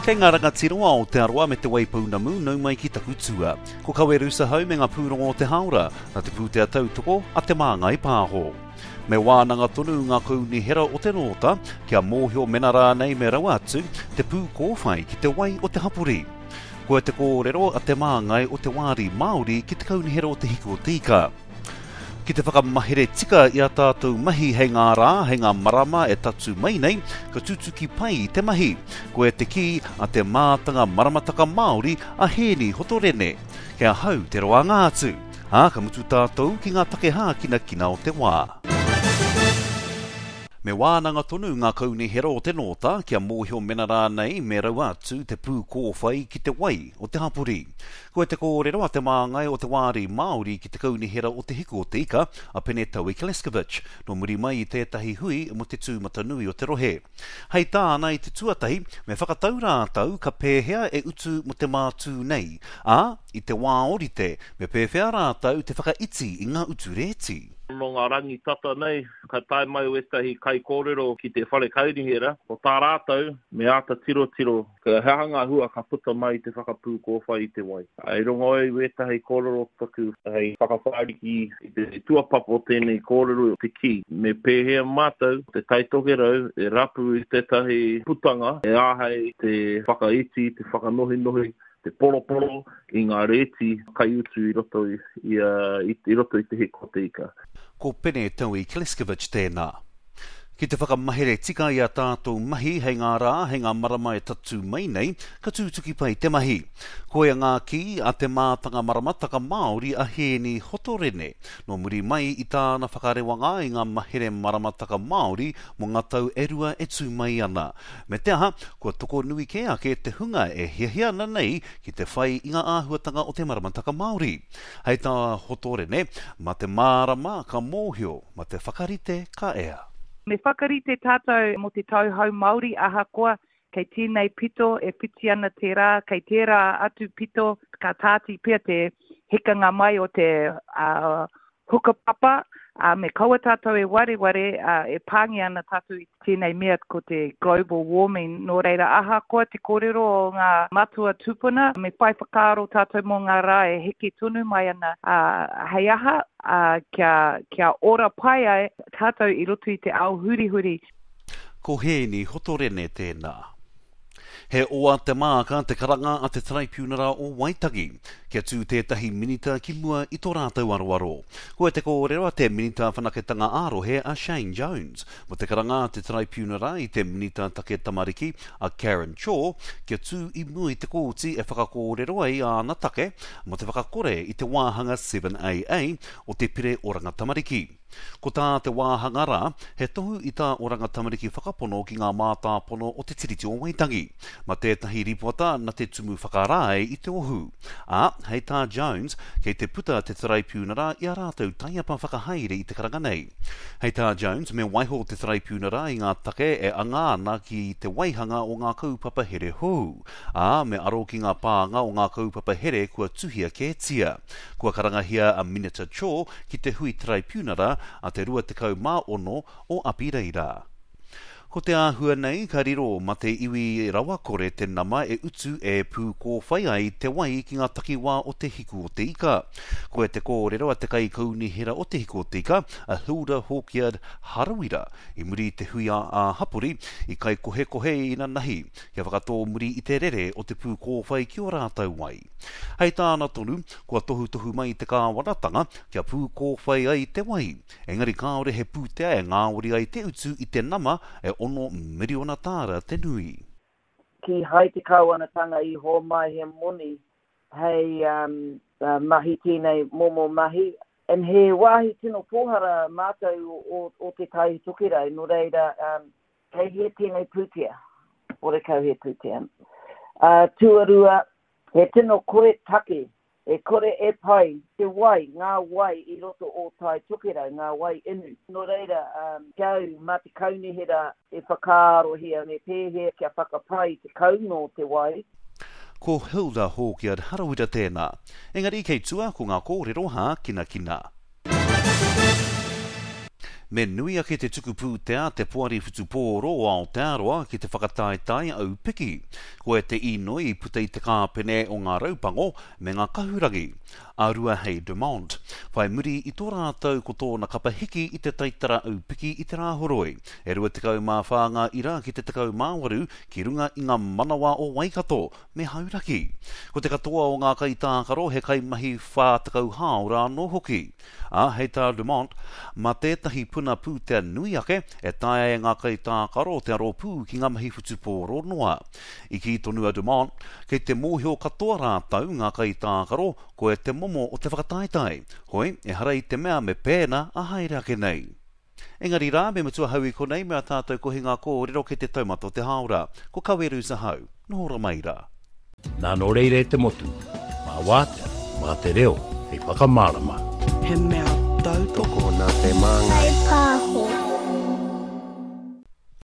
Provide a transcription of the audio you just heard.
Kei ngā rangatira o Aotearoa me Te Waipounamu, nau mai ki taku tua. Ko Kawerusa hau me ngā pūrongo o te hāora, nā te pūtea tautoko a Te Māngai Pāho. Me wānanga tonu ngā kaunihera o te Nōta kia mōhio mena rānei me rawa atu te pūkōwhai ki te wai o te hapori. Koa te kōrero a te māngai o te wāri Māori ki te kaunihera o Te Hiku o Te Ika. Ki te whakamahere tika i a tātou mahi hei ngā rā, hei ngā marama e tatū mai nei, ka tutuki pai te mahi. Koia te kī a te mātanga maramataka Māori a Hēni Hotorene. Kei ahau te roanga atu. Ā, ka mutu tātou ki ngā take hākinakina o te wā. Me wānanga tonu ngā kaunihera o te Nōta kia mōhio mena rānei me raua atu te pūkōwhai ki te wai o te hapori. Koia te kōrero a te māngai o te Wāri Māori ki te Kaunihera o Te Hiku o te Ika, a Pene Taui Kleskovic, nō muri mai i tētahi hui mō te tūmatanui o te rohe. Hei tāna i te tuatahi, me whakatau rātou ka pēhea e utu mō te mātū nei, ā, i te wā ōrite, me pēwhea rātou te whakaiti i ngā utu rēti. Nō ngā rangi tata nei, ka tae mai wētahi kaikōrero ki te whare kaunihera, ko tā rātou, me āta tirotiro he aha ngā hua ka puta mai i te whakapūkōwhai i te wai. I rongo au i wētahi kōrero taku hei whakawhāriki i te tuapapa o tēnei kōrero te kī, me pēhea mātou te Tai Tokerau e rapu i tētahi putanga e āhei te whakaiti, te whakanohinohi te poroporo i ngā rēti kaiutu i roto i, i roto i te hiko o te ika. Ko Pene Taui Kleskovic tēnā. Ki te whakamahere tika i a tātou mahi hei ngā rā, hei ngā marama e tatū mai nei, ka tūtuki pai te mahi. Koia ngā kī a te mātanga maramataka Māori a Hēni Hotorene, nō muri mai i tāna whakarewanga i ngā mahere maramataka Māori mō ngā tau e rua e tū mai ana. Me te aha, kua tokonui kē ake te hunga e hiahia ana nei ki te whai i ngā āhuatanga o te maramataka Māori. Hei tā Hotorene, mā te mārama ka mōhio, mā te whakarite ka ea. Me whakarite tātou mō te tau hou Māori ahakoa kei tēnei pito e whiti ana te rā, kei tērā atu pito ka tāti pea te hekanga mai o te hukapapa, ā, me kaua tātou e wareware, ā, e pāngia ana tātou i tēnei mea ko te global warming, nō reira ahakoa te kōrero o ngā matua tūpuna, me whai whakaaro tātou mō ngā rā e heke tonu mai ana, ā, hei aha, ā, kia, kia ora pai ai tātou i roto i te ao hurihuri. Ko Hēni Hotorene tēnā. He oa te māka te karanga a te Taraipiunara o Waitangi kia tū tētahi minita ki mua i tō rātou aroaro. Koia te kōrero a te Minita Whanaketanga ā-Rohe a Shane Jones mō te karanga a te Taraipiunara i te Minita Take Tamariki a Karen Chor kia tū i mua i te kōti e whakakōrero ai āna take mō te whakakore i te wāhanga 7AA o te Pire Oranga Tamariki. Ko tā te wāhanga rā, he tohu i tā Oranga Tamariki whakapono ki ngā mātāpono o Te Tiriti o Waitangi. Ma tētahi ripoata na te Tumu Whakarae i te ohu. Ā, hei tā Jones, kei te puta te Taraipiunara i a rātou taiapa whakahaere i te karanga nei. Hei tā Jones, me waiho te Taraipiunara i ngā take e anga ana ki te waihanga o ngā kaupapa here hou, ā, me aro ki ngā pānga o ngā kaupapa here kua tuhia kētia. Kua karangahia a Minita Cho ki te hui taraipiunara a te 26 o Apireira. Ko te āhua nei ka riro ma te iwi rawakore te nama e utu e pūkōwhai ai te wai ki ngā takiwā o Te Hiku o te Ika. Koia te kōrero a te kaikaunihera o Te Hiku o te Ika, a Hilda Hawkyard Harawira, i muri i te hui ā-hapori i kaikohekohe inanahi kia whakatōmuri i te rere o te pūkōwhai ki ō rātou wai. Hei tāna tonu, kua tohutohu mai te kāwanatanga kia pūkōwhai ai te wai, engari kāore he pūtea e ngāwari ai te utu i te nama e $6 miriona tāra te nui. Kīhai te kāwanatanga i hōmai he moni hei mahi tēnei momo mahi. And he wāhi tino pōhara mātou o Te Tai Tokerau, nō reira Kei hea tēnei pūtea? Horekau he pūtea. Ā, tuarua, he tino kore take, e kore e pai te wai, ngā wai i roto o Tai Tokerau, ngā wai inu. Nō reira, ki a au, mā te kaunihera e whakaarohia me pēhea kia whakapai te kounga o te wai. Ko Hilda Hawkyard Harawira tēnā. Engari kei tua ko ngā kōrero hākinakina. Me nui ake te tuku pūtea te Poari Whutupōro o Aotearoa ki te whakataetae aupiki. Koia te īnoi i puta i te kāpene o ngā Raupango me ngā Kahurangi, a Ruahei Dumont, whai muri i tō rātou ko tōna kapa hiki i te taitara aupiki i te Rāhoroi. E 24 ngā ira ki te 18 ki runga i ngā manawa o Waikato me Hauraki. Ko te katoa o ngā kaitākaro he kaimahi 40 hāora anō hoki. Ā, hei tā Dumont, mā tētahi puna pūtea nui ake e taea e ngā kaitākaro te aro pū ki ngā mahi whutupōro noa. I kī tonu a Dumont, kei te mōhio katoa rātou, ngā kaitākaro, koe te momo o te whakataetae. Hoi, ehara i te mea me pēnā a haere ake nei. Engari rā, me mutu ahau i konei me a tātou kohinga kōrero kei te taumata o te hāora. Ko Kawerus ahau. Noho ra mai rā. Nā nō reira e te motu, mā wātea, mā te reo hei whakamārama. He mea tautoko. Tokona te māngai. Whai pāho.